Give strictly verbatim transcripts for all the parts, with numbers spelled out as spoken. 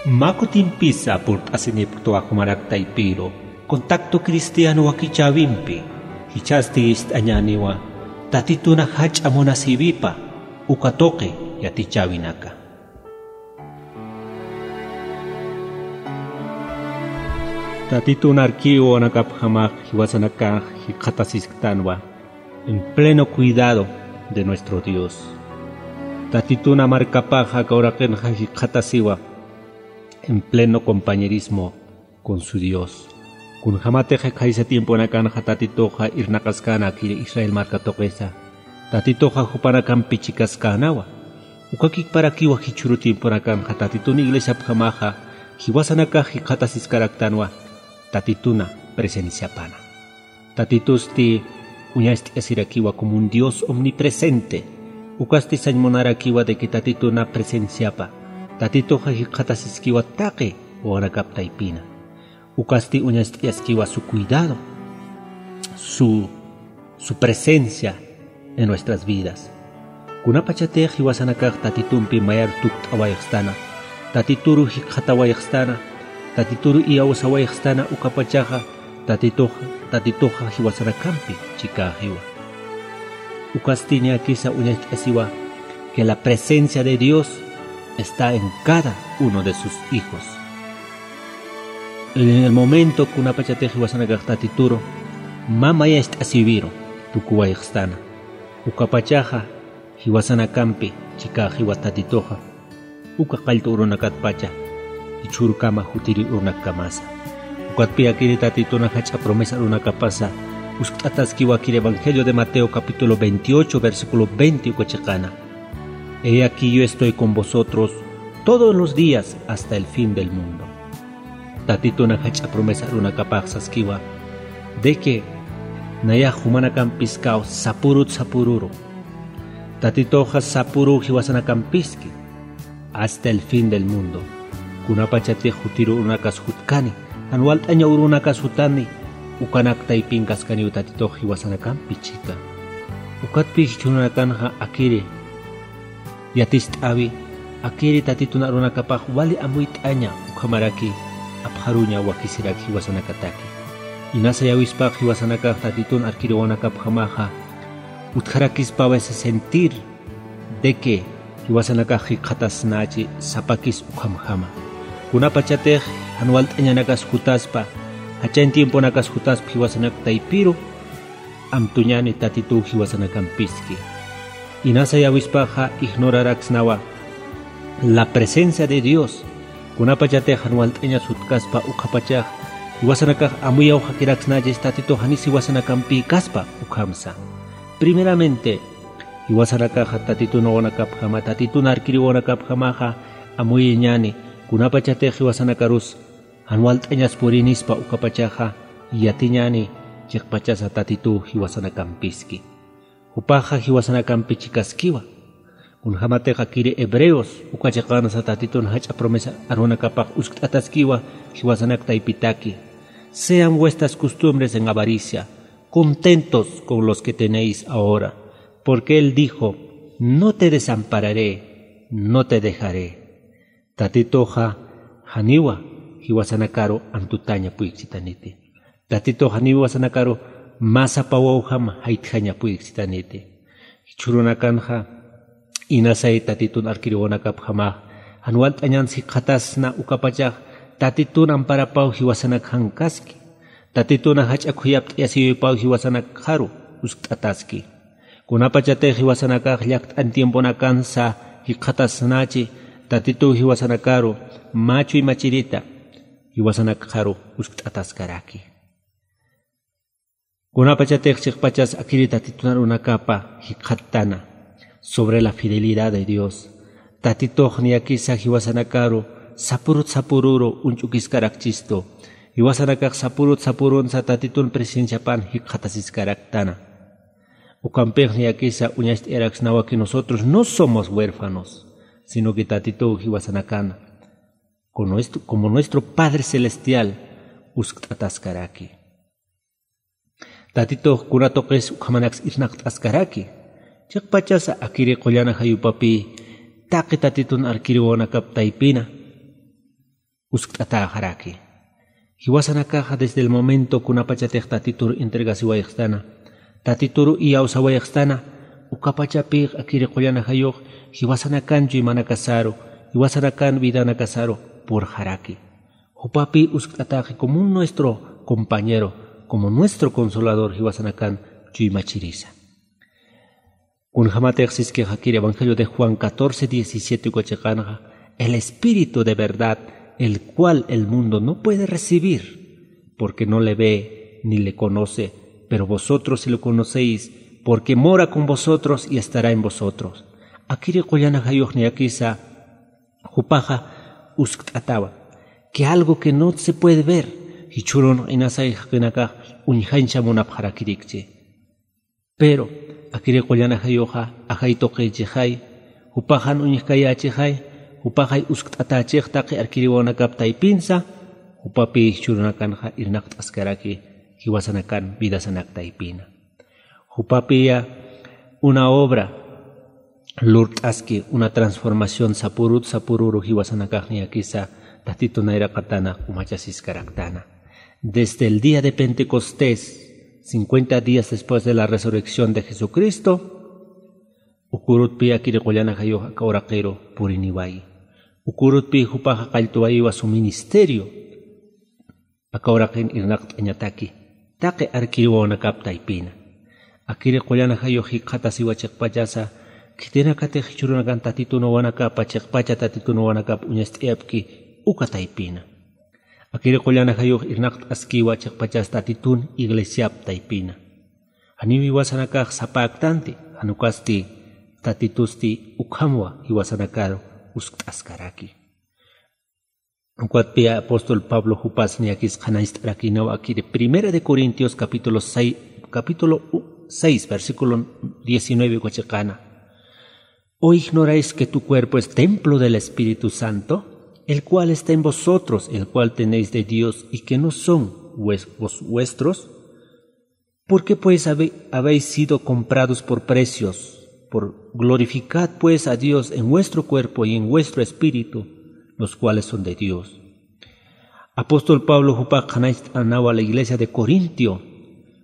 Mä kutimpisa purt'asinipktwa jumarak taypiru contacto cristiano wakichäwimpi. Jichhasti ist'añäniwa tatituna jach'a munasïwipa uka tuqi yatichäwinaka. Tatitun arkiw wawanakapjamax jiwasanakax jikxatasisktanwa en pleno cuidado de nuestro Dios. Tatituna markapaxa aka uraqinxa jikxatasiwa en pleno compañerismo con su Dios. Kunjämatix khaysa tiemponakanxa Tatituxa irnaqaskäna akiri Israel marka tuqisa, Tatituxa jupanakampi chikaskänawa. Ukakikparakiwa jichhüru tiemponakanxa Tatitun iglesiapjamaxa jiwasanakax jikxatasiskaraktanwa Tatituna presenciapana. Tatitusti uñacht'asirakiwa como un Dios omnipresente. Ukasti sañ munarakiwa de que Tatituna presenciapa, Tatituxa jikxatasiskiwa taqi wawanakap taypina. Ukasti uñacht'ayaskiwa su cuidado, su, su presencia en nuestras vidas. Kunapachatix jiwasanakax Tatitumpi mayar tukt'awayxstana, Tatituru jikxatawayxstana, Tatituru iyawsawayxstana, ukapachaxa Tatituxa, Tatituxa jiwasanakampi chikäxiwa. Ukasti ñäkisa uñacht'asiwa que la presencia de Dios está en cada uno de sus hijos. En el momento kunapachatix jiwasanakax Tatituru mä mayacht'asïwiru tukuwayxstana, ukapachaxa jiwasanakampi chikäxiwa Tatituxa, uka qallt'u urunakatpacha jichhürukama jutiri urunakkamasa. Ukatpï akiri Tatituna jach'a promesa urunakapasa uskt'ataskiwa akiri Evangelio de Mateo capítulo veintiocho, versículo veinte uka chiqana: He aquí yo estoy con vosotros todos los días hasta el fin del mundo. Tatituna jach'a promesa arunakapax saskiwa de que nayax jumanakampiskaw sapürut sapüruru. Tatituxa sapüruw jiwasanakampiski hasta el fin del mundo. Kunapachatix jutiru urunakas jutkani, jan walt'aña urunakas jutani, ukanak taypinkaskaniw Tatitux jiwasanakampi chika. Ukatpï jichhürunakanxa akiri yaticht'äwi, akiri Tatitun arunakapax wali amuyt'aña ukhamaraki apxaruña wakisirak jiwasanakataki. Inasa yawispax jiwasanakax Tatitun arkir wawanakapjamaxa utjarakispaw ese sentir de que jiwasanakax jikxatasnachi sapakis ukhamjama. Kunapachatix jan walt'añanakas jutaspa, jachañ tiemponakas jutaspa jiwasanak taypiru, amtuñäni Tatituw jiwasanakampiski. Inasa yawispaxa ignoraraksnawa la presencia de Dios. Kunapachatix jan walt'añas jutkaspa ukhapachax jiwasanakax amuyawxakiraksnachis Tatitux janis jiwasanakampïkaspa ukhamsa. Primeramente, jiwasanakaxa Tatitun wawanakapjama, Tatitun arkir wawanakapjamaxa amuyañäni, kunapachatix jiwasanakarus jan walt'añas purinispa ukapachaxa yatiñäni chiqpachasa Tatituw jiwasanakampiski. Jupaxa jiwasanakampi chikaskiwa. Kunjämatix akiri Hebreos uka chiqansa Tatitun jach'a promesa arunakapax uskt'ataskiwa jiwasanak taypitaki: Sean vuestras costumbres en avaricia, contentos con los que tenéis ahora, porque él dijo: No te desampararé, no te dejaré. Tatituxa janiwa jiwasanakaru antutaña puyksitaniti. Tatitux janiwa jiwasanakaru mä sapa wawjam jaytjaña puyksitaniti. Jichhürunakanxa inasay Tatitun arkir wawanakapjamax jan walt'añans jikxatasna ukapachax Tatitun amparapaw jiwasanak jankaski. Tatituna jach'a khuyapt'ayasïwipaw jiwasanakxaru uskt'ataski. Kunapachatix jiwasanakax llakt'an tiemponakansa jikxatasnachi, Tatituw jiwasanakaru mä chuymachirita jiwasanakxaru uskt'ataskaraki. Kunapachatix chiqpachas akiri Tatitun arunakapa jikxattana sobre la fidelidad de Dios. Tatitux niyakisa jiwasanakaru sapürut sapüruru uñch'ukiskarakchistu. Jiwasanakax sapürut sapürunsa Tatitun presenciapan jikxatasiskaraktana. Ukampix niyakisa uñacht'ayaraksnawa que nosotros no somos huérfanos, sino que Tatituw jiwasanakana, como nuestro, como nuestro Padre Celestial, uskt'ataskaraki. Tatitux kuna tuqis ukhamanaks irnaqt'askaraki. Chiqpachasa akiri qullan ajayupapï taqi Tatitun arkir wawanakap taypina uskt'atäxaraki. Jiwasanakaxa desde el momento kunapachatix tatitur entregasiwayxstana, tatitur iyawsawayxstana, ukapachapï akiri qullan ajayux jiwasanakan chuymanakasaru, jiwasanakan vidanakasaru purxaraki. Jupapï uskt'atäxi como un nuestro compañero, como nuestro consolador jiwasanakan chuymachirisa. Kunjamatix siskix akiri Evangelio de Juan catorce diecisiete uka chiqanxa, el Espíritu de verdad, el cual el mundo no puede recibir, porque no le ve ni le conoce, pero vosotros sí lo conocéis, porque mora con vosotros y estará en vosotros. Akiri qullan ajayux niyakisa jupaxa uskt'atawa, que algo que no se puede ver, jichhürun inasay jaqinakax uñjañcha munapxarakirikchi. Pero akiri qullan ajayuxa ajay tuqichixay, jupaxan uñjkayächixay, jupaxay uskt'atächix taqi arkiriwawanakap taypinsa, jupapï jichhürunakanxa irnaqt'askaraki jiwasanakan vidasanak taypina. Jupapïya una obra lurt'aski, una transformación sapürut sapüruru jiwasanakax niyakisa Tatitu nayraqatana umachasiskaraktana. Desde el día de Pentecostés, cincuenta días después de la resurrección de Jesucristo, uka urutpï akiri qullan ajayux aka uraqiru puriniwayi. Uka urutpï jupaxa qalltuwayiwa su ministerio. Aka uraqin irnaqt'añataki taqi arkiriwawanakap taypina. Akiri qullan ajayux jikxatasiwa chiqpachasa, khitinakatix jichhürunakan Tatitu nawanakapa chiqpacha Tatitu nawanakap uñast'ayapki uka taypina. Akiri qullan ajayux irnaqt'askiwa chiqpachas Tatitun iglesiap taypina. Janiw jiwasanakax sapäktanti, jan ukasti Tatitusti ukhamwa jiwasanakaru uskt'askaraki. Ukatpï apóstol Pablo jupas niyakis qhanañcht'arakïnawa akiri Primera de Corintios capítulo seis, capítulo seis, versículo diecinueve uka chiqana. ¿O ignoráis que tu cuerpo es templo del Espíritu Santo, el cual está en vosotros, el cual tenéis de Dios, y que no son vues-, vos-, vuestros? ¿Por qué, pues, habe-, habéis sido comprados por precios? Por, glorificad, pues, a Dios en vuestro cuerpo y en vuestro espíritu, los cuales son de Dios. Apóstol Pablo jupax qhanañcht'anawa la iglesia de Corintio,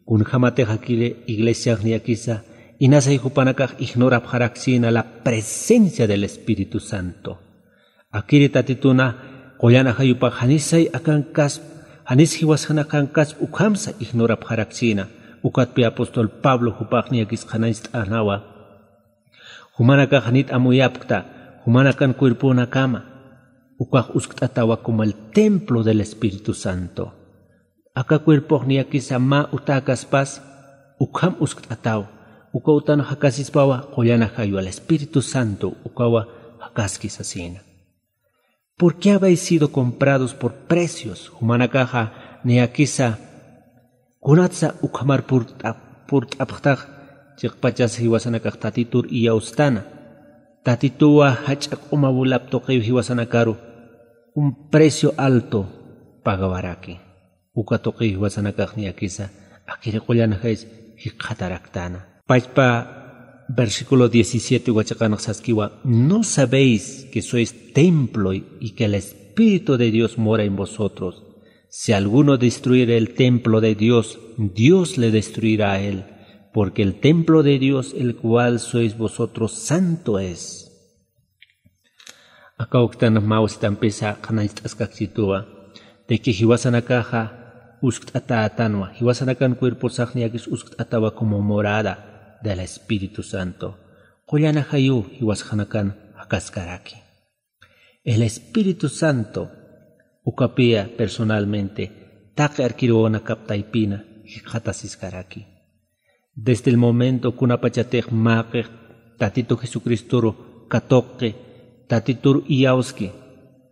kunjamatix akiri iglesiax niyakisa, inasay jupanakax ignorapxaraksïna la presencia del Espíritu Santo. Akiri Tatituna qullan ajayupax janisay akankasp, janis jiwasana akankasp ukhamsa ignorapxaraksïna. Ukatpï apóstol Pablo jupax niyakis qhanañcht'anawa. Jumanakax janit amuyapkta, jumanakan cuerponakama. Ukax uskt'atawa como el templo del Espíritu Santo. Aka cuerpox niyakisa mä utäkaspas, ukham uskt'ataw, uka utan jakasispawa qullan ajayu, el Espíritu Santo ukawa jakaski sasïna. ¿Por qué habéis sido comprados por precios? Jumanakaxa niyakisa, kunatsa ukhamar purt'ap-, purt'apxtax, chiqpachas jiwasanakax Tatitur iyawstana. Tatituwa jach'a q'uma wulap tuqiw jiwasanakaru, un precio alto pagawaraki. Uka tuqiw jiwasanakax niyakisa, akiri qullan ajayis jikxataraktana. Pachpa versículo diecisiete uka chiqanx saskiwa, ¿no sabéis que sois templo y que el Espíritu de Dios mora en vosotros? Si alguno destruyere el templo de Dios, Dios le destruirá a él, porque el templo de Dios, el cual sois vosotros, santo es. Aka uktanx mä wasitampisa qhanañcht'askakchituwa, de que jiwasanakaxa uskt'atätanwa, jiwasanakan cuerposax niyakis uskt'atawa como morada del Espíritu Santo. Qullan ajayu jiwasanakan jakaskaraki. El Espíritu Santo, ukapï personalmente, taqi arkiriwawanakap taypina jikxatasiskaraki. Desde el momento kunapachatix mäqix Tatitu Jesucristoru katuqki, Tatituru iyawski,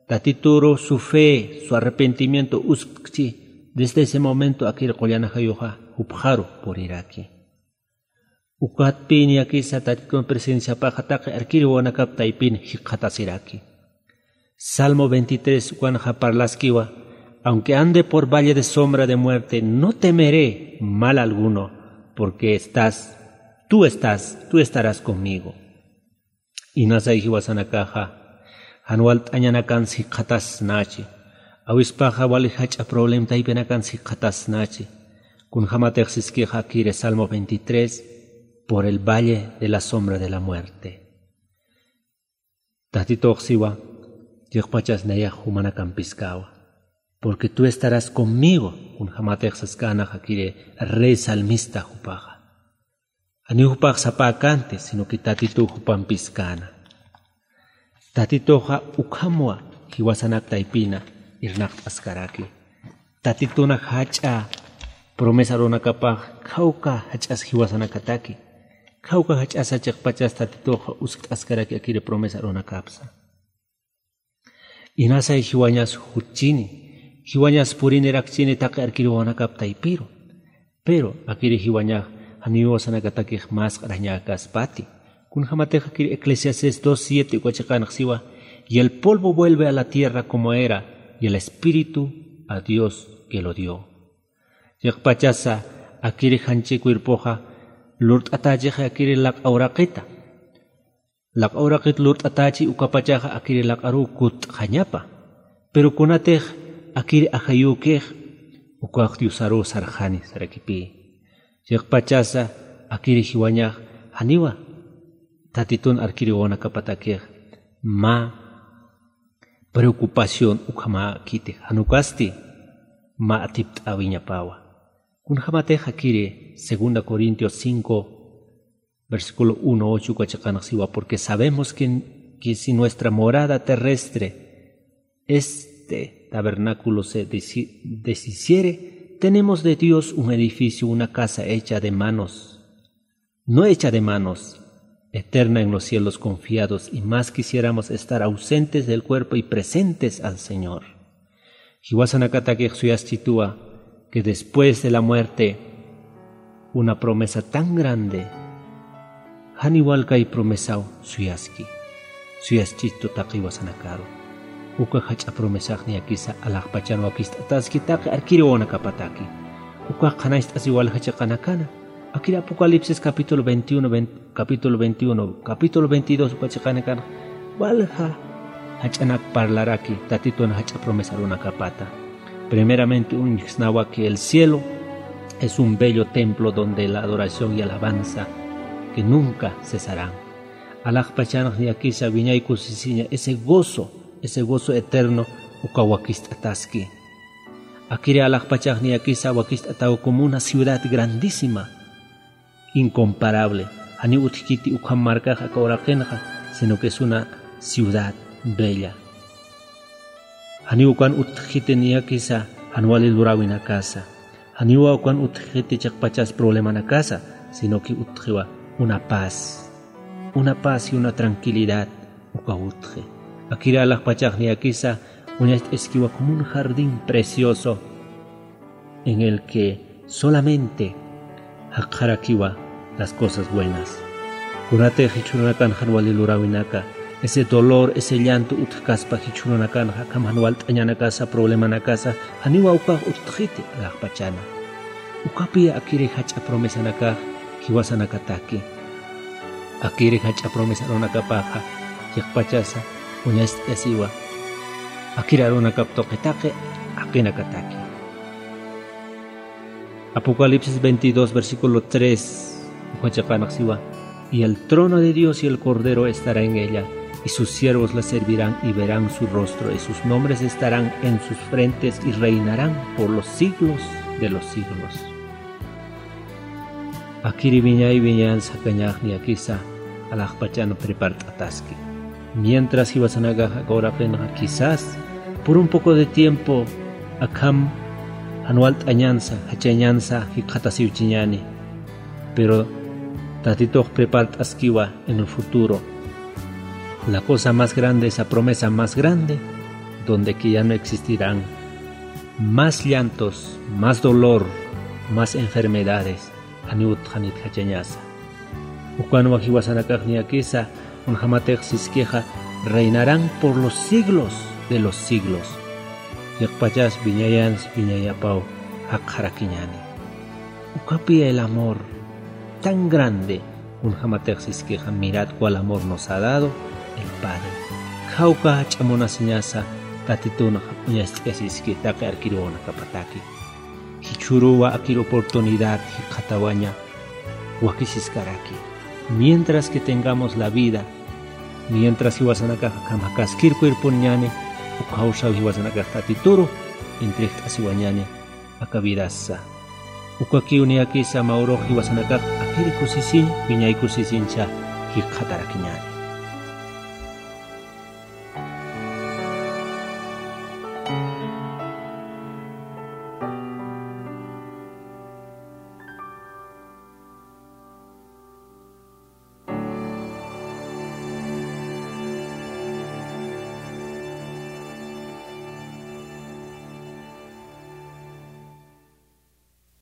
Tatituru su fe, su arrepentimiento usktki, desde ese momento akiri qullan ajayuxa jupxaru puriraki. Ukatpï niyakisa Tatitun presenciapaxa taqi arkiriwawanakap taypin jikxatasiraki. Salmo veintitrés ukanxa parlaskiwa, aunque ande por valle de sombra de muerte, no temeré mal alguno, porque estás, tú estás, tú estarás conmigo. Inasay jiwasanakaxa, jan walt'añanakans jikxatasnachi. Awispaxa wali jach'a problemtaypinakan sikxatasnachi. Kunjamatix siskixa akiri Salmo veintitrés, por el valle de la sombra de la muerte. Tatitux siwa, chiqpachas nayax jumanakampiskawa. Porque tú estarás conmigo, kunjamatix saskänax akiri rey salmista jupaxa. Janiw jupax sapäkänti, sino que Tatituw jupampiskäna. Tatituxa ukhamwa jiwasanak taypina irnaqt'askaraki. Tatituna jach'a promesa arunakapax khawka jach'as jiwasanakataki. Khawka jach'asa chiqpachas Tatituxa uskt'askaraki akiri promesa arunakapsa. Inasay jiwañas jutchini, jiwañas purinirakchini taqi arkiri wawanakap taypiru. Pero akiri jiwañax janiw jiwasanakatakix masq'arañäkaspati. Kunjamatix akiri Eclesiastés dos siete uka chiqanx siwa, y el polvo vuelve a la tierra como era, y el espíritu a Dios que lo dio. Chiqpachasa akiri janchi cuerpoxa lurt'atächixi akiri laq'a uraqita. Laq'a uraqit lurt'atächi ukapachaxa akiri laq'aruw kutt'xañapa. Pero kunatix akiri ajayükix ukax Diosaruw sarxani sarakipï. Chiqpachasa akiri jiwañax janiwa Tatitun arkiri wawanakapatakix mä preocupación ukhamäkiti, jan ukasti mä atipt'äwiñapawa. Kunjamatix akiri segunda Corintios cinco, versículo uno, ocho uka chiqanx siwa, porque sabemos que, que si nuestra morada terrestre, este tabernáculo se desi-, deshiciere, tenemos de Dios un edificio, una casa hecha de manos, no hecha de manos, eterna en los cielos confiados, y más quisiéramos estar ausentes del cuerpo y presentes al Señor. Jiwasanakatakix suyaschituwa que después de la muerte, una promesa tan grande, janiw walkay promesaw suyaski. Suyaschistu taqi jiwasanakaru. Uka jach'a promesax niyakisa alaxpachan wakist'ataski taqi arkiri wawanakapataki. Ukax qhanañcht'asiw walja chiqanakana. Akiri Apocalipsis capítulo veintiuno, vein-, capítulo veintiuno, capítulo veintidós uka chiqanakanxa walja jach'anak parlaraki Tatitun jach'a promesa arunakapata. Primeramente uñjsnawa que el cielo es un bello templo donde la adoración y alabanza que nunca cesarán. Alaxpachanx niyakisa wiñay kusisiña ese gozo, ese gozo eterno uka wakist'ataski. Akiri alaxpachax niyakisa wakist'ataw como una ciudad grandísima, incomparable. Janiw utjkiti ukham markax aka uraqinxa, sino que es una ciudad bella. Janiw ukan utjkiti niyakisa jan wali luräwinakasa. Janiwa ukan utjkiti chiqpachas problemanakasa, sino que utjiwa una paz. Una paz y una tranquilidad uka utji. Akiri alaxpachax niyakisa uñacht'askiwa como un jardín precioso en el que solamente jaqxarakiwa las cosas buenas. Kunatix jichhürunakan jan wali luräwinaka, ese dolor, ese llanto utjkaspa jichhürunakanxa, akham jan walt'añanakasa, problemanakasa, janiwa ukax utjkiti alaxpachana. Ukapiya akiri jach'a promesanakax jiwasanakataki. Akiri jach'a promesa arunakapaxa, chiqpachasa uñacht'asiwa akiri arunakap tuqi taqi jaqinakataki. Apocalipsis veintidós, versículo tres, uka chiqanx siwa, y el trono de Dios y el Cordero estará en ella, y sus siervos le servirán y verán su rostro, y sus nombres estarán en sus frentes, y reinarán por los siglos de los siglos. Akiri wiñay wiñayansa jakañax niyakisa alaxpachan prepart'ataski. Mientras jiwasanakax aka uraqinxa quizás por un poco de tiempo akham jan walt'añansa, jachañansa jikxatasiwchiñäni. Pero Tatitux prepart'askiwa en el futuro la cosa más grande, esa promesa más grande, donde que ya no existirán más llantos, más dolor, más enfermedades, janiw utjkiti jachañasa. Ukanwa jiwasanakax niyakisa, kunjamatix siskixa, reinarán por los siglos de los siglos. Chiqpachas wiñayansa wiñayapaw jaqxarakiñäni. Ukapiya el amor tan grande, kunjamatix siskixa, mirad cuál amor nos ha dado el Padre. Jawka jach'a munasiñasa Tatitunxa uñast'kasiski taqi arkiruwanakapataki. Jichhüruwa akir oportunidad jikxatawaña wakisiskaraki. Mientras que tengamos la vida, mientras jiwasanakax akham jakaskir cuerponiñäni, ukhawsaw jiwasanakax Tatituru entregt'asiwañäni aka vidassa. Ukakiw niyakisa mä urux jiwasanakax akir kusisiñ, wiñay kusisiñsa jikxatarakiñäni.